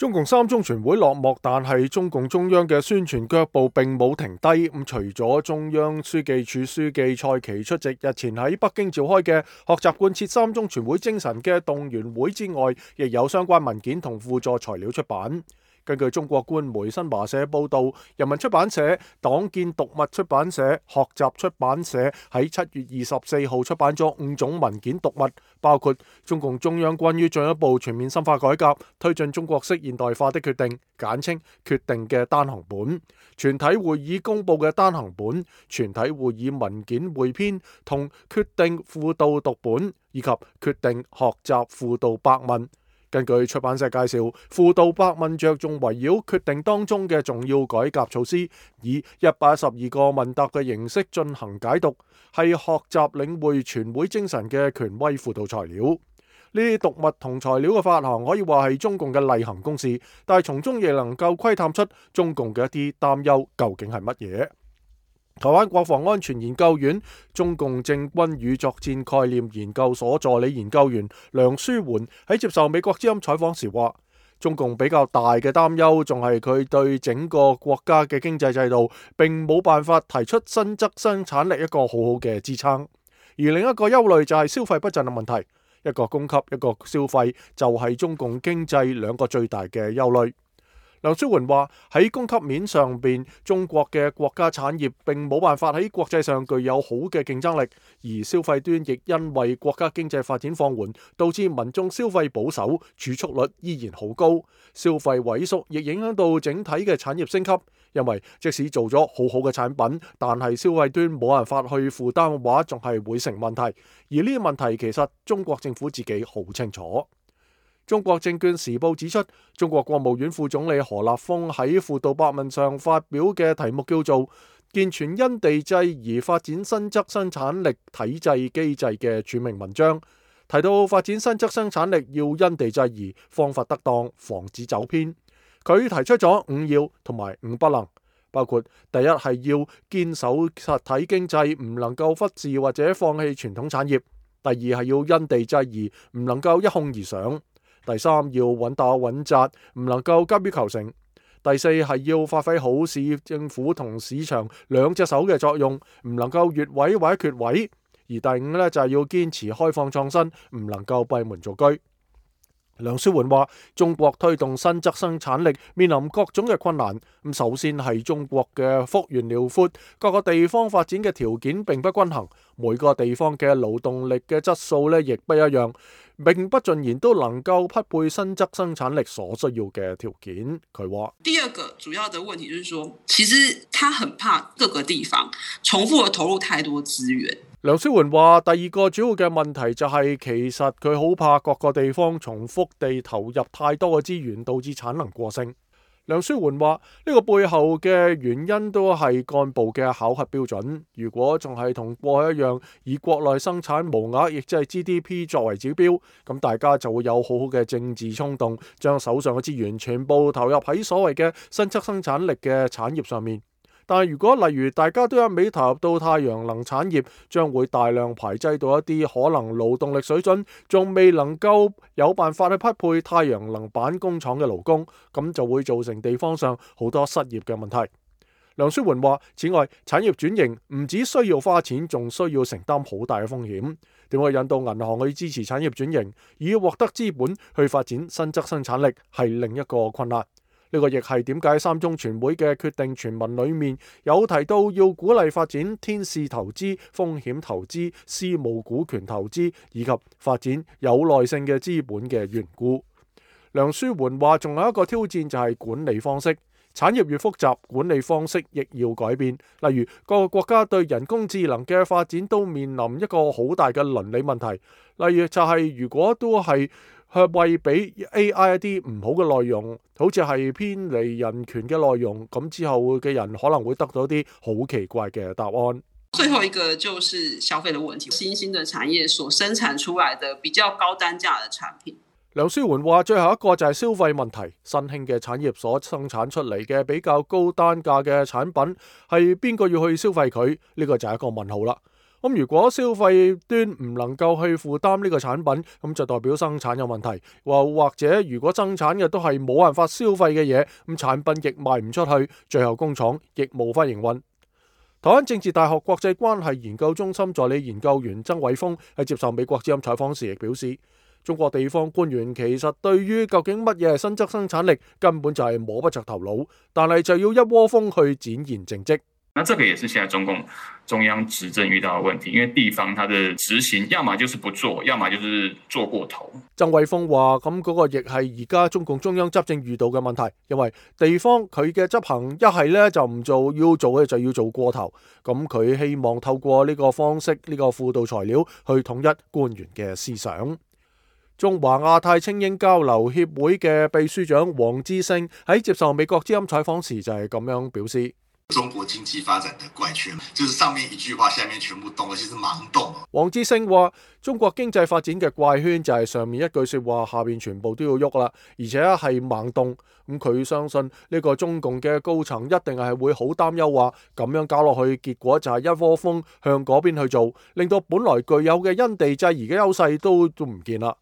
中共三中全會落幕，但係中共中央嘅宣傳腳步並冇停低。除咗中央書記處書記蔡奇出席日前喺北京召開嘅學習貫徹三中全會精神嘅動員會之外，亦有相關文件同輔助材料出版。根據中國官媒新華社報道，人民出版社、黨建讀物出版社、學習出版社喺7月24號出版咗5種文件讀物，包括中共中央關於進一步全面深化改革、推進中國式現代化的決定（簡稱決定）嘅單行本、全體會議公佈嘅單行本、全體會議文件匯編同決定輔導讀本，以及決定學習輔導百問。根據出版社介紹，輔導百問着重圍繞決定當中嘅重要改革措施，以112個問答嘅形式進行解讀，係學習領會全會精神嘅權威輔導材料。呢啲讀物同材料嘅發行可以話係中共嘅例行公事，但係從中亦能夠窺探出中共嘅一啲擔憂究竟係乜嘢。台灣國防安全研究院中共政軍與作戰概念研究所助理研究員梁書媛喺接受美國之音採訪時話，中共比較大嘅擔憂仲係佢對整個國家嘅經濟制度並冇辦法提出新質生產力一個好好嘅支撐，而另一個憂慮就係消費不振嘅問題，一個供給一個消費就係中共經濟兩個最大嘅憂慮。梁書媛話，喺供給面上邊，中國嘅國家產業並冇辦法喺國際上具有好嘅競爭力，而消費端亦因為國家經濟發展放緩，導致民眾消費保守，儲蓄率依然好高，消費萎縮亦影響到整體嘅產業升級。因為即使做咗好好嘅產品，但係消費端冇辦法去負擔嘅話，仲係會成問題。而呢啲問題其實中國政府自己好清楚。中國證券時報指出，中國國務院副總理何立峰喺輔導百問上發表嘅題目叫做健全因地制宜發展新質生產力體制機制嘅署名文章，提到發展新質生產力要因地制宜，方法得當，防止走偏。佢提出咗5要同埋5不能，包括第一係要堅守實體經濟，唔能夠忽視或者放棄傳統產業；第二係要因地制宜，唔能夠一鬨而上。第三要穩打穩紮，唔能夠急於求成；第四係要發揮好市政府同市場兩隻手嘅作用，唔能夠越位或者缺位；而第五就係要堅持開放創新，唔能夠閉門造車。梁書媛話，中國推動新質生產力面臨各種嘅困難。首先係中國嘅幅員遼闊，各個地方發展嘅條件並不均衡，每個地方嘅勞動力嘅質素亦不一樣，並不盡然都能夠匹配新質生產力所需要嘅條件。佢話，第二個主要的問題就是說，其實他很怕各個地方重複地投入太多資源。梁書媛話，第二個主要嘅問題就係其實佢好怕各個地方重複地投入太多嘅資源，導致產能過剩。梁書媛話，呢個背後嘅原因都係幹部嘅考核標準。如果仲係同過去一樣，以國內生產毛額，亦即係 GDP 作為指標，咁大家就會有好好嘅政治衝動，將手上嘅資源全部投入喺所謂嘅新質生產力嘅產業上面。但係如果例如大家都一味投入到太陽能產業，將會大量排擠到一啲可能勞動力水準仲未能夠有辦法去匹配太陽能板工廠嘅勞工，咁就會造成地方上好多失業嘅問題。梁書媛話，此外，產業轉型唔只需要花錢，仲需要承擔好大嘅風險。點去引導銀行去支持產業轉型，以獲得資本去發展新質生產力，係另一個困難。呢個亦係點解三中全會嘅決定全文裏面有提到要鼓勵發展天使投資、風險投資、私募股權投資以及發展有耐性嘅資本嘅緣故。梁書媛話，仲有一個挑戰就係管理方式，產業越複雜，管理方式亦要改變。例如各個國家對人工智能嘅發展都面臨一個好大嘅倫理問題，例如就係如果都係為俾 AI 一啲唔好嘅內容，好似係偏離人權嘅內容，咁之後嘅人可能會得到啲好奇怪嘅答案。最後一個就是消費的問題，新興的產業所生產出來的比較高單價的產品。梁書媛話，最後一個就係消費問題，新興嘅產業所生產出嚟嘅比較高單價嘅產品，係邊個要去消費佢？呢個就係一個問號啦。咁如果消費端唔能夠去負擔呢個產品，咁就代表生產有問題，或者如果生產嘅都係冇辦法消費嘅嘢，咁產品亦賣唔出去，最後工廠亦無法營運。台灣政治大學國際關係研究中心助理研究員曾偉峰喺接受美國之音採訪時亦表示，中國地方官員其實對於究竟乜嘢係新增生產力根本就係摸不着頭腦，但係就要一窩蜂去展現政績。那這個也是現在中共中央執政遇到的問題，因為地方它的執行，要麼就是不做，要麼就是做過頭。曾偉峰話：咁嗰個亦係而家中共中央執政遇到嘅問題，因為地方佢嘅執行一係咧就唔做，要做嘅就要做過頭。咁佢希望透過呢個方式，呢個輔導材料去統一官員嘅思想。中華亞太菁英交流協會嘅秘書長黃之星喺接受美國之音採訪時就係咁樣表示。中國經濟發展的怪圈，就是上面一句話，下面全部動，而且是盲動。黃之星話：中國經濟發展嘅怪圈就係上面一句說話，下面全部都要喐啦，而且係盲動。咁佢相信呢個中共嘅高層一定係會好擔憂，話咁樣搞落去，結果就係一窩蜂向嗰邊去做，令到本來具有嘅因地制宜嘅優勢都唔見啦。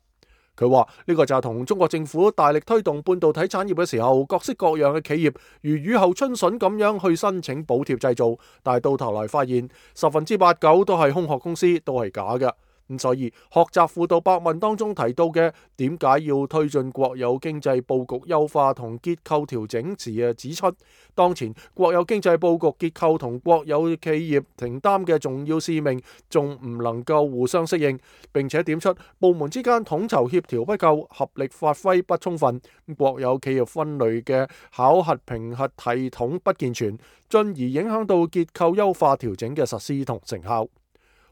佢話呢個就係同中國政府大力推動半導體產業嘅時候，各式各樣嘅企業如雨後春筍咁樣去申請補貼製造，但係到頭來發現89%都係空殼公司，都係假嘅。咁所以學習輔導百問當中提到嘅點解要推進國有經濟佈局優化同結構調整時指出，當前國有經濟佈局結構同國有企業承擔嘅重要使命仲唔能夠互相適應，並且點出部門之間統籌協調不夠，合力發揮不充分，國有企業分類嘅考核評核系統不健全，進而影響到結構優化調整嘅實施同成效。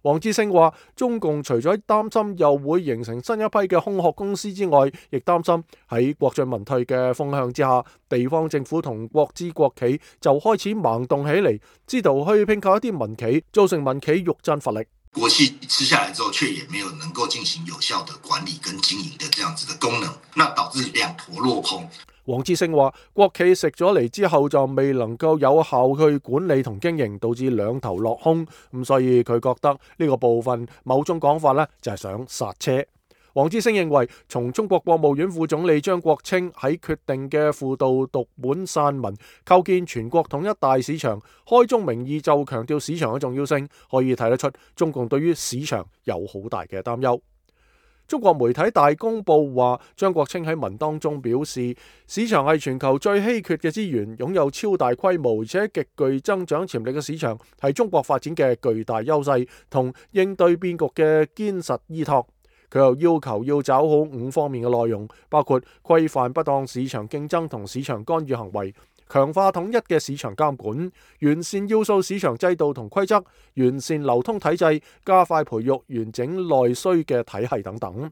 黃之星話：中共除咗擔心又會形成新一批嘅空殼公司之外，亦擔心喺國進民退嘅風向之下，地方政府同國資國企就開始盲動起嚟，試圖去併購一啲民企，造成民企欲振乏力。國企吃下來之後，卻也沒有能夠進行有效的管理跟經營的這樣子的功能，那導致兩頭落空。黃之星話：國企食咗嚟之後就未能夠有效去管理同經營，導致兩頭落空。咁所以佢覺得呢個部分某種講法呢就係想剎車。黃之星認為，從中國國務院副總理張國清喺決定嘅輔導讀本散文構建全國統一大市場，開宗明義就強調市場嘅重要性，可以睇得出中共對於市場有好大嘅擔憂。中國媒體大公報話，張國清喺文當中表示，市場係全球最稀缺嘅資源，擁有超大規模而且極具增長潛力嘅市場，係中國發展嘅巨大優勢同應對變局嘅堅實依託。佢又要求要找好5方面嘅內容，包括規範不當市場競爭同市場干預行為，強化統一嘅市場監管，完善要素市場制度同規則，完善流通體制，加快培育完整內需嘅體系等等。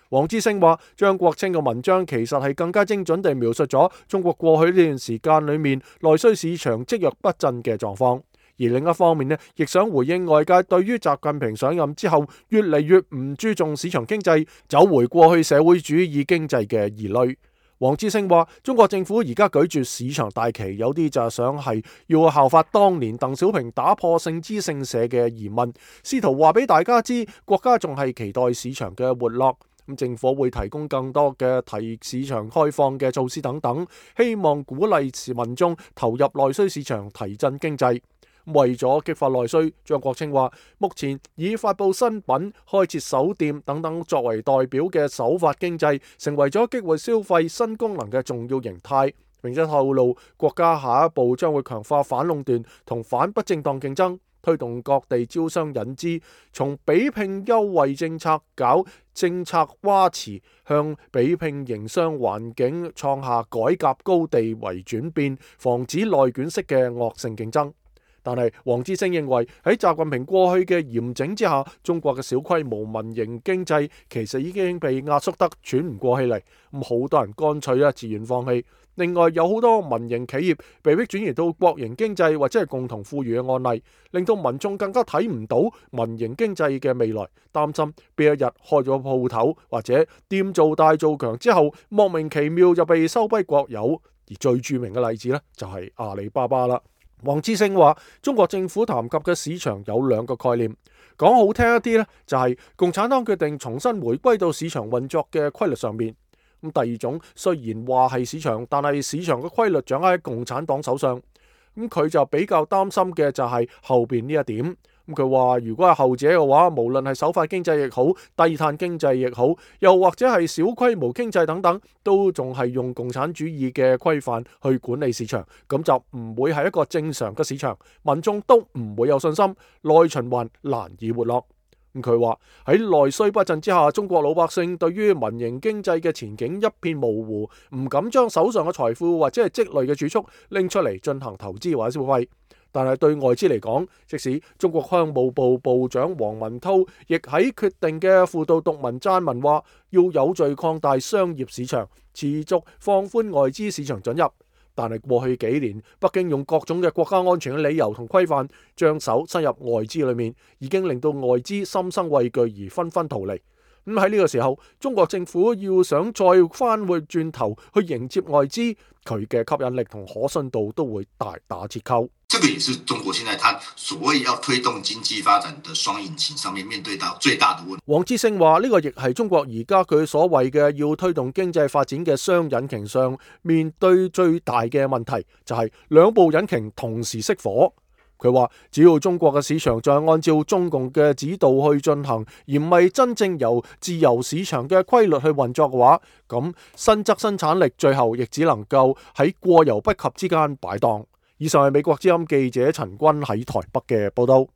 黃之星話：張國清嘅文章其實係更加精準地描述咗中國過去呢段時間裏面內需市場積弱不振嘅狀況。而另一方面呢，亦想回應外界對於習近平上任之後越嚟越唔注重市場經濟，走回過去社會主義經濟嘅疑慮。黃之星話：中國政府而家舉住市場大旗，有啲就係想係要效法當年鄧小平打破姓資姓社嘅疑問，試圖話俾大家知國家仲係期待市場嘅活絡。咁政府會提供更多嘅提市場開放嘅措施等等，希望鼓勵民眾投入內需市場，提振經濟。為咗激發內需，張國清話：目前以發佈新品、開設手店等等作為代表嘅首發經濟，成為咗激活消費新功能嘅重要形態。並且透露，國家下一步將會強化反壟斷同反不正當競爭，推動各地招商引資，從比拼優惠政策搞政策挖池，向比拼營商環境創下改革高地為轉變，防止內卷式嘅惡性競爭。但係黃之星認為喺習近平過去嘅嚴整之下，中國嘅小規模民營經濟其實已經被壓縮得喘唔過氣嚟，咁好多人乾脆自願放棄。另外有好多民營企業被迫轉移到國營經濟或者係共同富裕嘅案例，令到民眾更加睇唔到民營經濟嘅未來，擔心邊一日開咗鋪頭或者店做大做強之後，莫名其妙就被收歸國有。而最著名嘅例子呢，就係阿里巴巴啦。黃之星話：中國政府談及嘅市場有2個概念，講好聽一啲呢，就係共產黨決定重新回歸到市場運作嘅規律上面。咁第二種雖然話係市場，但係市場嘅規律掌握喺共產黨手上。咁佢就比較擔心嘅就係後邊呢一點。咁佢話如果係後者嘅話，無論係首發經濟亦好，低碳經濟亦好，又或者係小規模經濟等等，都仲係用共產主義嘅規範去管理市場，咁就唔會係一個正常嘅市場，民眾都唔會有信心，內循環難以活絡。咁佢話喺內需不振之下，中國老百姓對於民營經濟嘅前景一片模糊，唔敢將手上嘅財富或者係積累嘅儲蓄拎出嚟進行投資或者消費。但係對外資嚟講，即使中國商務部部長王文濤亦喺決定嘅附道讀文撰文話，要有序擴大商業市場，持續放寬外資市場准入。但係過去幾年，北京用各種嘅國家安全嘅理由同規範，將手伸入外資裏面，已經令到外資心生畏懼而紛紛逃離。咁喺呢個時候，中國政府要想再翻回轉頭去迎接外資，佢嘅吸引力同可信度都會大打折扣。這個也是中國現在它所謂要推動經濟發展的雙引擎上面面對到最大的問題。黃志勝話：呢個亦係中國而家佢所謂嘅要推動經濟發展嘅雙引擎上面對最大嘅問題，就係兩部引擎同時熄火。佢話只要中國嘅市場再按照中共嘅指導去進行，而唔係真正由自由市場嘅規律去運作嘅話，咁新增生產力最後亦只能夠喺過猶不及之間擺盪。以上係美國之音記者陳君喺台北嘅報道。